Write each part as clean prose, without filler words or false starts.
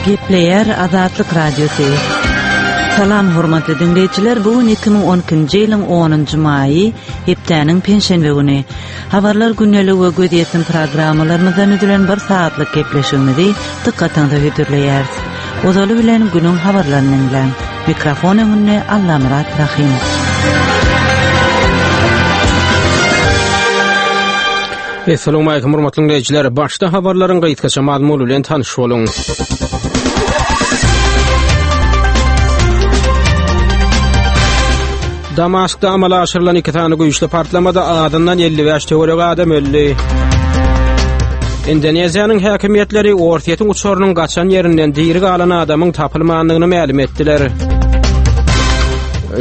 Gepleýär Azatlyk Radiosy. Salam hormatly diňleýjiler, bu gün 2012-nji ýylyň 10-njy maýy, hepdäniň penşenbe güni. Habarlar gündeligi we gözýetim programmalarymyzdan düzülen bir sagatlyk gepleşigimizi dykgatyňyza hödürleýäris. Ozaly bilen günüň habarlaryny diňläň. Mikrofon öňünde Allamyrat Rahymow. Essalawmalikim hormatly diňleýjiler. Başda habarlaryň gysgaça mazmuny bilen tanyş boluň. Damaskda amala aşyrylan iki sany güýçli partlamada azyndan 55 töweregi adam öldi. Indoneziýanyň häkimiýetleri Orsýetiň uçarynyň gaçan ýerinden diri galan adamyň tapylmandygyny mälim etdiler.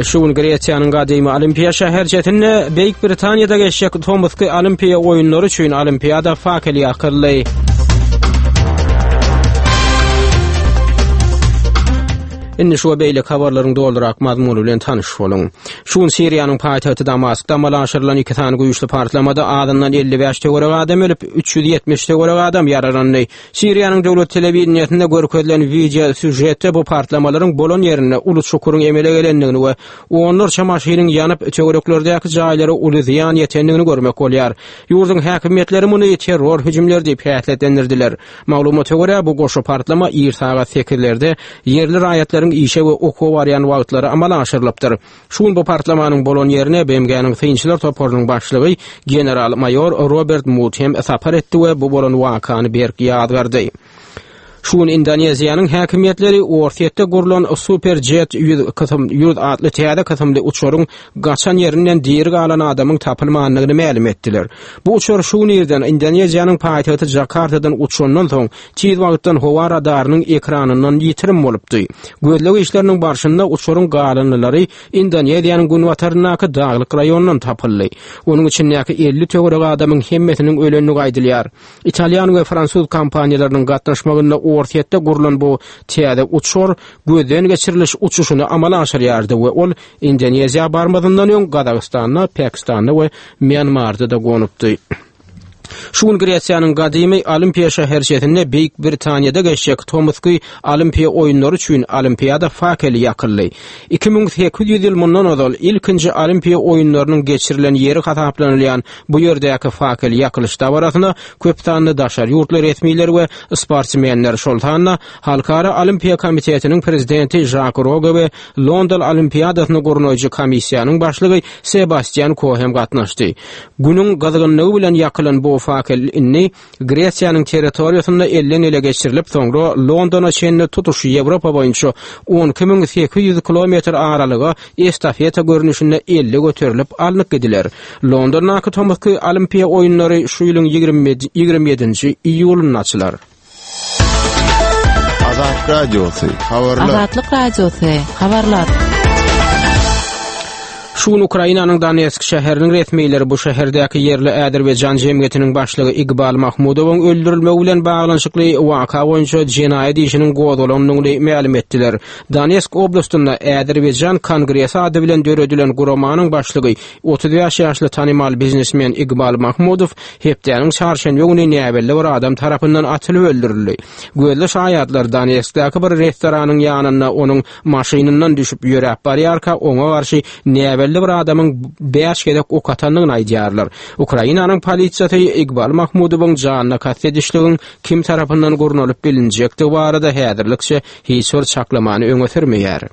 Şu gün Gresiýanyň gadymy Olimpiýa şäherçesinde Beýik Britaniýada geçjek tomusky Olimpiýa oýunlary üçin Olimpiada fakeli ýakyldy. Indi şu we beýleki habarlaryň dolurak mazmuny bilen tanyş boluň. Şu gün Siriýanyň paýtagty Damaskda amala aşyrylan iki sany güýçli partlamada azyndan 55 töweregi adam ölüp, 370 töweregi adam ýaralandy. Siriýanyň döwlet telewideniýesinde görkezilen wideo sýužetde bu partlamalaryň bolan ýerinde uly çukuryň emele gelendigini we onlarça maşynyň ýanyp, töwereklerdäki jaýlara uly zyýan ýetendigini görmek bolýar. Ýurduň häkimiýetleri muny terror hüjümleri diýip häsiýetlendirdiler. Maglumata görä, bu goşa partlama ir sagat sekizlerde ýerli raýatlaryň işe we okuwa barýan wagtlary amala aşyrylypdyr. Şu gün bu partlamanyň bolan ýerine BMG-niň synçylar toparynyň başlygy general-maýor Robert Mud hem sapar etdi we bu bolan wakany berk ýazgardy. Şu gün Indoneziýanyň häkimiýetleri Orsýetde gurlan Superjet 100 kysym 100 atly täze kysymly uçaryň gaçan ýerinden diri galan adamyň tapylmandygyny mälim etdiler. Bu uçar şu gün irden Indoneziýanyň paýtagty Jakartadan uçandan soň tiz wagtdan howa radarynyň ekranyndan ýitirim bolupdy. Gözleg işleriniň barşynda uçaryň galyndylary Indoneziýanyň günbataryndaky daglyk raýonyndan tapyldy. Onuň içindäki 50 töweregi adamyň hemmesiniň ölendigi aýdylýar. Italýan we fransuz kompaniýalarynyň gatnaşmagynda Orsýetde gurlan bu täze uçar gözden geçiriliş uçuşyny amala aşyrýardy we ol Indoneziýa barmazyndan öň Gazagystanda, Pakistanda we Mýanmarda-da gonupdy. Şu gün Gresiýanyň gadymy Olimpiýa şäherçesinde Beýik Britaniýada geçjek tomusky Olimpiýa oýunlary üçin Olimpiada fakeli ýakyldy. 2800 ýyl mundan ozal ilkinji Olimpiýa oýunlarynyň geçirilen ýeri hasaplanylýan bu ýerdäki fakel ýakylyş dabarasyna köp sanly daşary ýurtly resmiler we sportsmenler, şol sanda Halkara Olimpiýa komitetiniň prezidenti Žak Roge we London Olimpiadasyny gurnaýjy komissiýanyň başlygy Sebastýan Ko hem gatnaşdy. Günüň gyzgynlygy bilen ýakylan bu fakel indi Gresiýanyň territoriýasynda elden-ele geçirilip, soňra Londona çenli tutuş Ýewropa boýunça 12800 kilometr aralyga estafeta görnüşinde elde göterilip alnyp gidiler. Londondaky tomusky Olimpiýa oýunlary şu ýylyň 27-nji iýulynda açylar. Azat Radiosy, habarlar. Azatlyk Radiosy, habarlar. Şu gün Ukrainanyň Donetsk şäheriniň resmileri bu şäherdäki ýerli Azerbaýjan jemgyýetiniň başlygy Igbal Mahmudowyň öldürilmegi bilen baglanyşykly waka boýunça jenaýat işiniň gozgalandygyny mälim etdiler. Donetsk oblastynda Azerbaýjan kongresi ady bilen döredilen guramanyň başlygy 35 ýaşly tanymal biznesmen Igbal Mahmudow Hepdäniň çarşenbe güni näbelli bir adam tarapyndan atylyp öldürildi. Gözli şaýatlar Donetskdäki bir restoranyň ýanynda onuň maşynyndan düşüp ýöräp barýarka oňa garşy näbelli bir adamyň bäş gezek ok atandygyny aýdýarlar. Ukrainanyň polisiýasy Igbal Mahmudowyň janyna kast edişligiň kim tarapyndan gurnalyp bilinjekdigi barada häzirlikçe hiç bir çaklamany öňe sürmeýär.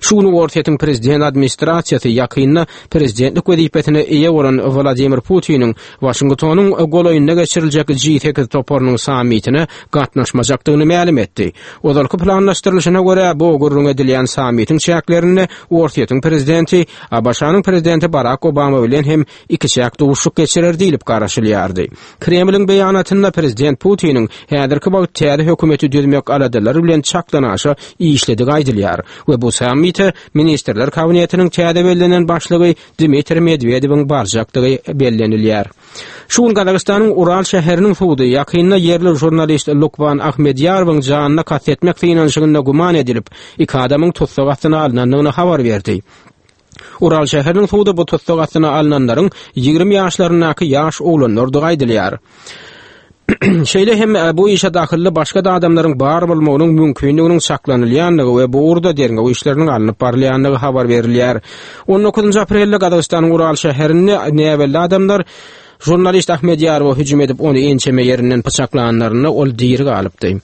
Şu gün Orsýetiň prezident administrasiýasy ýakynda prezidentlik wezipesine eýe bolan Wladimir Putiniň Waşingtonyň golaýynda geçiriljek G8 toparynyň sammitine gatnaşmajakdygyny mälim etdi. Ozalky planlaşdyrylyşyna görä, bu gürrüň edilýän sammitiň çäklerinde Orsýetiň prezidenti ABŞ-nyň prezidenti Barak Obama bilen hem ikiçäk duşuşyk geçirer diýlip garaşylýardy. Kremliň beýanatynda prezident Putiniň häzirki wagt täze hökümeti düzmek aladalary bilen çakdanaşa işledigi aýdylýar we bu sammite Ministrler Kabinetiniň täze bellenen başlygy Dmitriý Medwedewiň barjakdygy bellenilýär. Şu gün Gazagystanyň Ural şäheriniň sudy ýakynda ýerli žurnalist Lukman Ahmedýarowyň janyna kast etmek synanyşygynda güman edilip, iki adamyň tussag astyna alnandygyny habar berdi. Ural şäheriniň sudy bu tussag astyna alnanlaryň 20 ýaşlaryndaky ýaş oglanlardygy aýdylýar. Şeýle hem e, bu işe dahylly başga-da adamlaryň bar bolmagynyň mümkindiginiň çaklanylýandygy we bu ugurda derňew işleriniň alnyp barylýandygy habar berilýär. 19 aprelde Gazagystanyň Ural şäherinde näbelli adamlar žurnalist Ahmedýarowa hüjüm edip, ony ençeme ýerinden pyçaklanlarynda ol diri galypdy.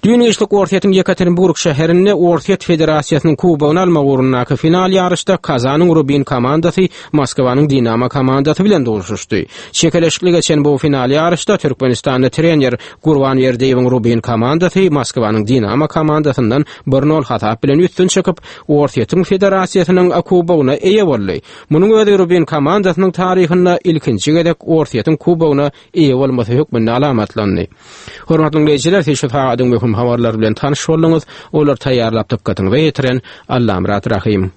Düýn giçlik Orsýetiň Ýekaterinburg şäherinde Orsýet Federasiýasynyň kubogyny almak ugrundaky final ýaryşda Kazanyň Rubin komandasy Moskwanyň Dinamo komandasy bilen duşuşdy. Çekeleşikli geçen bu final ýaryşda Türkmenistanda trener Gurban Berdiýewiň Rubin komandasy Moskwanyň Dinamo komandasyndan bir nol hasap bilen üstün çykyp, Orsýetiň Federasiýasynyň kubogyna eýe boldy. Munuň özi Rubin komandasynyň taryhynda ilkinji gezek Orsýetiň kubogyna eýe bolmasy hökmünde alamatlandy. Hormatly diňleýjiler, siz şu sagadyň möhüm habarlary bilen tanyş bolduňyz. Olary taýýarlap dykgatyňyza ýetiren Allamyrat Rahym.